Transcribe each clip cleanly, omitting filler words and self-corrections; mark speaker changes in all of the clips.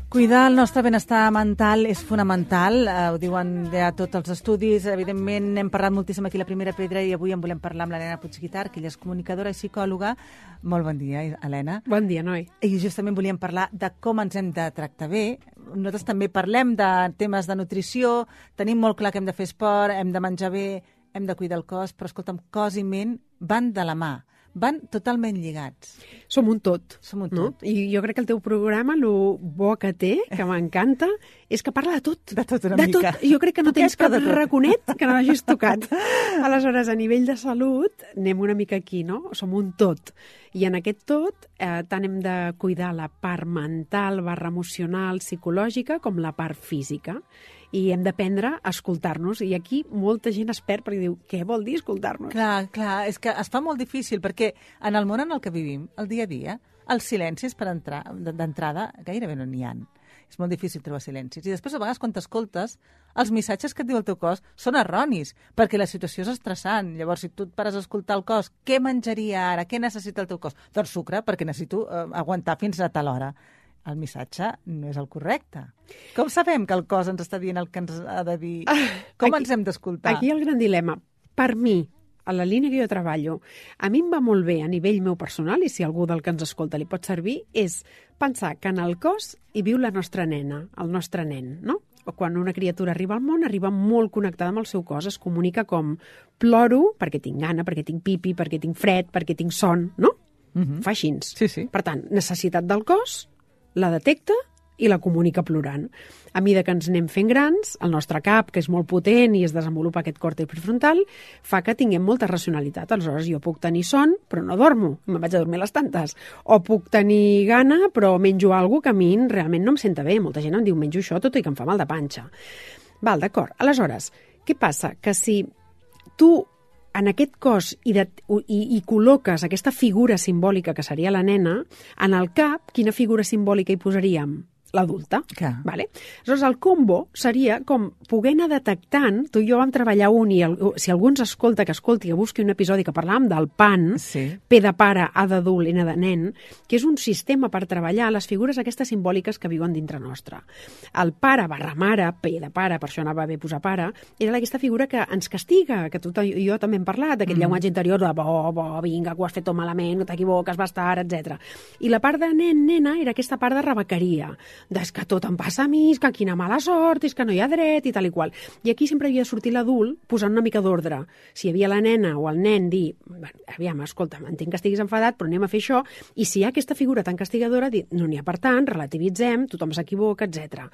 Speaker 1: Cuidar el nostre benestar mental és fonamental, ho diuen ja tots els estudis. Evidentment, hem parlat moltíssim aquí a La Primera Pedra i avui en volem parlar amb l'Helena Puigguitart, que ella és comunicadora i psicòloga. Molt bon dia, Helena.
Speaker 2: Bon dia, Noi.
Speaker 1: I justament volíem parlar de com ens hem de tractar bé. Nosaltres també parlem de temes de nutrició, tenim molt clar que hem de fer esport, hem de menjar bé, hem de cuidar el cos, però escolta'm, cos i ment van de la mà. Van totalment lligats.
Speaker 2: Som un tot.
Speaker 1: Som un tot.
Speaker 2: No? I jo crec que el teu programa, el bo que té, que m'encanta, és que parla de tot.
Speaker 1: De tot una mica.
Speaker 2: Tot. Jo crec que no tens cap raconet que no hagis tocat. Aleshores, a nivell de salut, anem una mica aquí, no? Som un tot. I en aquest tot, tant hem de cuidar la part mental, emocional, psicològica, com la part física. I hem d'aprendre a escoltar-nos. I aquí molta gent es perd perquè diu, què vol dir escoltar-nos?
Speaker 1: Clar, és que es fa molt difícil perquè en el món en el que vivim, el dia a dia, els silencis d'entrada gairebé no n'hi ha. És molt difícil trobar silencis. I després, a vegades, quan t'escoltes, els missatges que et diu el teu cos són erronis, perquè la situació és estressant. Llavors, si tu et pares a escoltar el cos, què menjaria ara? Què necessita el teu cos? Doncs sucre, perquè necessito aguantar fins a tal hora. El missatge no és el correcte. Com sabem que el cos ens està dient el que ens ha de dir? Com ens hem d'escoltar?
Speaker 2: Aquí el gran dilema. Per mi, a la línia que jo treballo, a mi em va molt bé a nivell meu personal, i si algú del que ens escolta li pot servir, és pensar que en el cos hi viu la nostra nena, el nostre nen, no? O quan una criatura arriba al món, arriba molt connectada amb el seu cos, es comunica com ploro perquè tinc gana, perquè tinc pipi, perquè tinc fred, perquè tinc son, no? Fa així.
Speaker 1: Sí.
Speaker 2: Per tant, necessitat del cos, la detecta i la comunica plorant. A mesura que ens anem fent grans, el nostre cap, que és molt potent i es desenvolupa aquest còrtex prefrontal, fa que tinguem molta racionalitat. Aleshores, jo puc tenir son, però no dormo, me'n vaig a dormir a les tantes. O puc tenir gana, però menjo alguna que a mi realment no em senta bé. Molta gent em diu, menjo això tot i que em fa mal de panxa. Val, d'acord. Aleshores, què passa? Que si tu en aquest cos hi col·loques aquesta figura simbòlica que seria la nena, en el cap, quina figura simbòlica hi posaríem? L'adulta. Vale? Aleshores, el combo seria com poder anar detectant, tu i jo vam treballar i si algú ens escolta, que escolti, que busqui un episodi que parlàvem del PAN, P de pare, A d'adult, N de nen, que és un sistema per treballar les figures aquestes simbòliques que viuen dintre nostre. El pare / mare, P de pare, per això anava bé posar pare, era aquesta figura que ens castiga, que tu i jo també hem parlat, d'aquest llenguatge interior de vinga, que ho has fet tot malament, no t'equivoques, bastar, etc. I la part de nen, nena, era aquesta part de rebequeria, és que tot em passa a mi, és que quina mala sort, és que no hi ha dret i tal i qual. I aquí sempre havia de sortir l'adult posant una mica d'ordre. Si hi havia la nena o el nen dir, aviam, escolta, entenc que estiguis enfadat, però anem a fer això, i si hi ha aquesta figura tan castigadora, dir, no n'hi ha per tant, relativitzem, tothom s'equivoca, etc.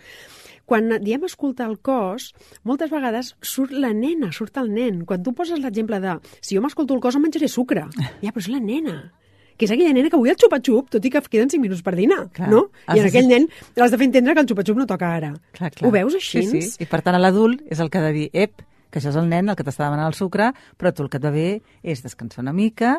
Speaker 2: Quan diem escoltar el cos, moltes vegades surt la nena, surt el nen. Quan tu poses l'exemple de, si jo m'escolto el cos em menjaré sucre, ja, però és la nena, que és aquella nena que vull el xupa-xup, tot i que queden 5 minuts per dinar, no? I en aquell nen l'has de fer entendre que el xupa-xup no toca ara.
Speaker 1: Clar.
Speaker 2: Ho veus així?
Speaker 1: Sí. I per tant, a l'adult és el que ha de dir, que això és el nen el que t'està demanant el sucre, però tu el que et va bé és descansar una mica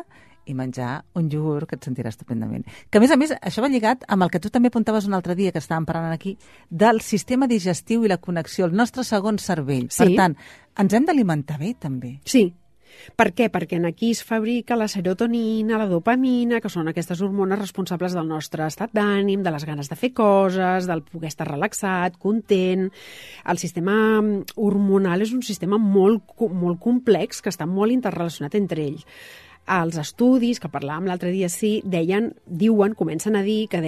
Speaker 1: i menjar un iogurt que et sentiràs estupendament. Que, a més, això va lligat amb el que tu també apuntaves un altre dia, que estàvem parlant aquí, del sistema digestiu i la connexió, el nostre segon cervell.
Speaker 2: Sí.
Speaker 1: Per tant, ens hem d'alimentar bé, també.
Speaker 2: Sí. Per què? Perquè aquí es fabrica la serotonina, la dopamina, que són aquestes hormones responsables del nostre estat d'ànim, de les ganes de fer coses, del poder estar relaxat, content. El sistema hormonal és un sistema molt complex que està molt interrelacionat entre ells. Els estudis, que parlàvem l'altre dia, comencen a dir que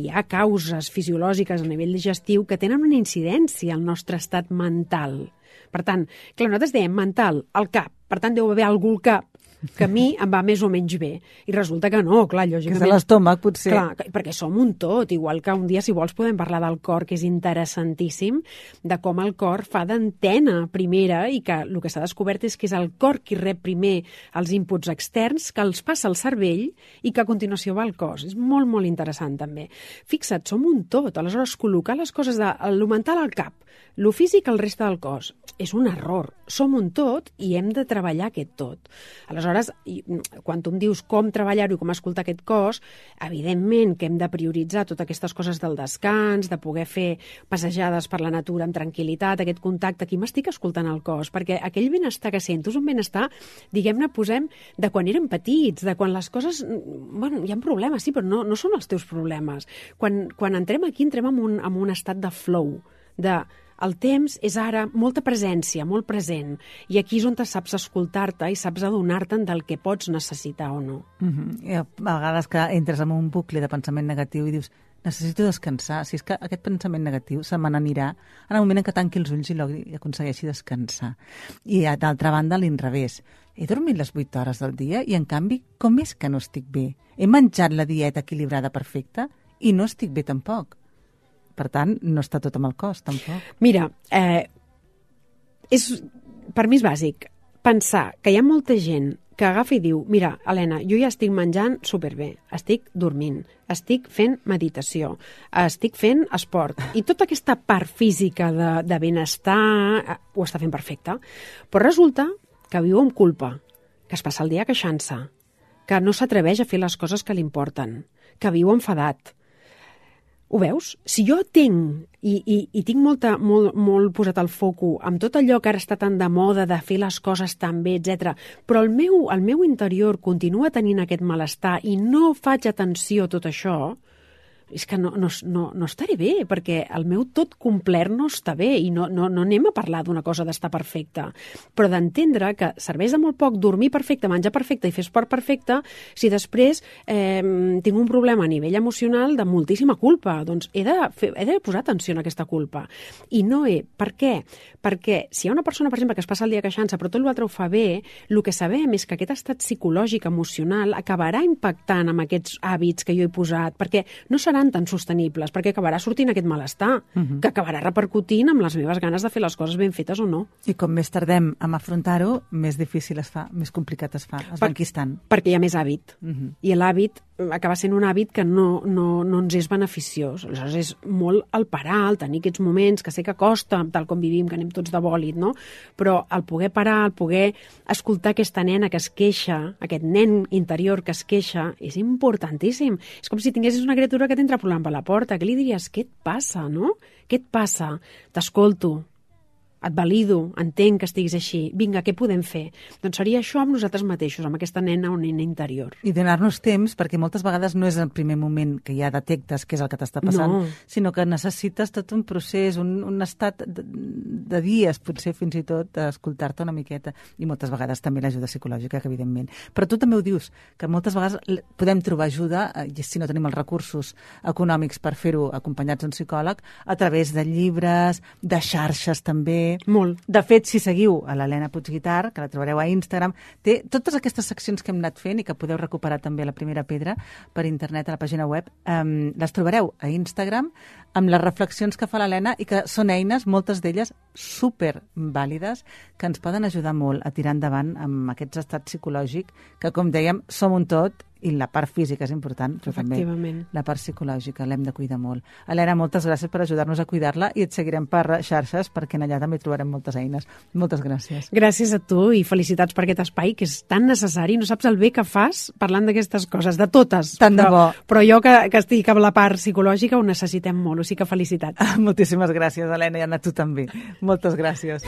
Speaker 2: hi ha causes fisiològiques a nivell digestiu que tenen una incidència al nostre estat mental. Per tant, clar, nosaltres dèiem mental, al cap, per tant deu haver algú al cap que a mi em va més o menys bé. I resulta que no, clar, lògicament.
Speaker 1: Que és l'estómac, potser.
Speaker 2: Clar, perquè som un tot, igual que un dia, si vols, podem parlar del cor, que és interessantíssim, de com el cor fa d'antena primera i que el que s'ha descobert és que és el cor qui rep primer els inputs externs, que els passa al cervell i que a continuació va al cos. És molt, molt interessant, també. Fixa't, som un tot. Aleshores, col·locar les coses de lo mental al cap, lo físic al reste del cos, és un error. som un tot i hem de treballar aquest tot. Aleshores, quan tu em dius com treballar-ho i com escoltar aquest cos, evidentment que hem de prioritzar totes aquestes coses del descans, de poder fer passejades per la natura amb tranquil·litat, aquest contacte. Aquí m'estic escoltant el cos, perquè aquell benestar que sento és un benestar, diguem-ne, posem de quan érem petits, de quan les coses... Bueno, hi ha problemes, sí, però no són els teus problemes. Quan entrem aquí, entrem en un estat de flow, el temps és ara molta presència, molt present, i aquí és on te saps escoltar-te i saps adonar-te'n del que pots necessitar o no.
Speaker 1: I a vegades que entres en un bucle de pensament negatiu i dius, necessito descansar, si és que aquest pensament negatiu se me n'anirà en el moment en què tanqui els ulls i aconsegueixi descansar. I d'altra banda, a l'inrevés. He dormit les 8 hores del dia i, en canvi, com és que no estic bé? He menjat la dieta equilibrada perfecta i no estic bé tampoc. Per tant, no està tot amb el cos, tampoc.
Speaker 2: Mira, per mi és bàsic pensar que hi ha molta gent que agafa i diu, mira, Helena, jo ja estic menjant superbé, estic dormint, estic fent meditació, estic fent esport, i tota aquesta part física de benestar ho està fent perfecte. Però resulta que viu amb culpa, que es passa el dia queixant-se, que no s'atreveix a fer les coses que li importen, que viu enfadat. Ho veus? Si jo tinc, i tinc molt posat el foco amb tot allò que ara està tan de moda de fer les coses tan bé, etc., però el meu interior continua tenint aquest malestar i no faig atenció a tot això, és que no estaré bé, perquè el meu tot complet no està bé i no anem a parlar d'una cosa d'estar perfecta, però d'entendre que serveix de molt poc dormir perfecte, menjar perfecte i fer esport perfecte si després tinc un problema a nivell emocional de moltíssima culpa. Doncs he de posar atenció en aquesta culpa. I no per què? Perquè si hi ha una persona, per exemple, que es passa el dia queixant-se però tot l'altre ho fa bé, el que sabem és que aquest estat psicològic, emocional, acabarà impactant amb aquests hàbits que jo he posat, perquè no seran tan sostenibles, perquè acabarà sortint aquest malestar, que acabarà repercutint amb les meves ganes de fer les coses ben fetes o no.
Speaker 1: I com més tardem en afrontar-ho, més difícil es fa, més complicat es fa, es va enquistant.
Speaker 2: Perquè hi ha més hàbit. I l'hàbit acaba sent un hàbit que no ens és beneficiós. Aleshores és molt el parar, el tenir aquests moments, que sé que costa, tal com vivim, que anem tots de bòlit, no? Però el poder parar, el poder escoltar aquesta nena que es queixa, aquest nen interior que es queixa, és importantíssim. És com si tinguessis una criatura que t'entra plolant per la porta. Què li diries? Què et passa, no? Què et passa? T'escolto, et valido, entenc que estiguis així. Vinga, què podem fer? Doncs seria això amb nosaltres mateixos, amb aquesta nena o nena interior.
Speaker 1: I donar-nos temps, perquè moltes vegades no és el primer moment que ja detectes què és el que t'està passant, sinó que necessites tot un procés, un estat de dies, potser fins i tot, d'escoltar-te una miqueta. I moltes vegades també l'ajuda psicològica, que evidentment. Però tu també ho dius, que moltes vegades podem trobar ajuda, si no tenim els recursos econòmics per fer-ho acompanyats d'un psicòleg, a través de llibres, de xarxes també.
Speaker 2: Molt.
Speaker 1: De fet, si seguiu a l'Helena Puigguitar, que la trobareu a Instagram, té totes aquestes seccions que hem anat fent i que podeu recuperar també a La Primera Pedra per internet a la pàgina web, les trobareu a Instagram amb les reflexions que fa l'Helena i que són eines, moltes d'elles super vàlides, que ens poden ajudar molt a tirar endavant amb aquest estat psicològic que, com dèiem, som un tot i la part física és important, però també la part psicològica l'hem de cuidar molt. Helena, moltes gràcies per ajudar-nos a cuidar-la i et seguirem per xarxes perquè allà també trobarem moltes eines. Moltes gràcies.
Speaker 2: Gràcies a tu i felicitats per aquest espai que és tan necessari. No saps el bé que fas parlant d'aquestes coses, de totes.
Speaker 1: Tant de bo.
Speaker 2: Però jo que estic amb la part psicològica ho necessitem molt, o sigui que felicitats.
Speaker 1: Moltíssimes gràcies, Helena, i a tu també. Moltes gràcies.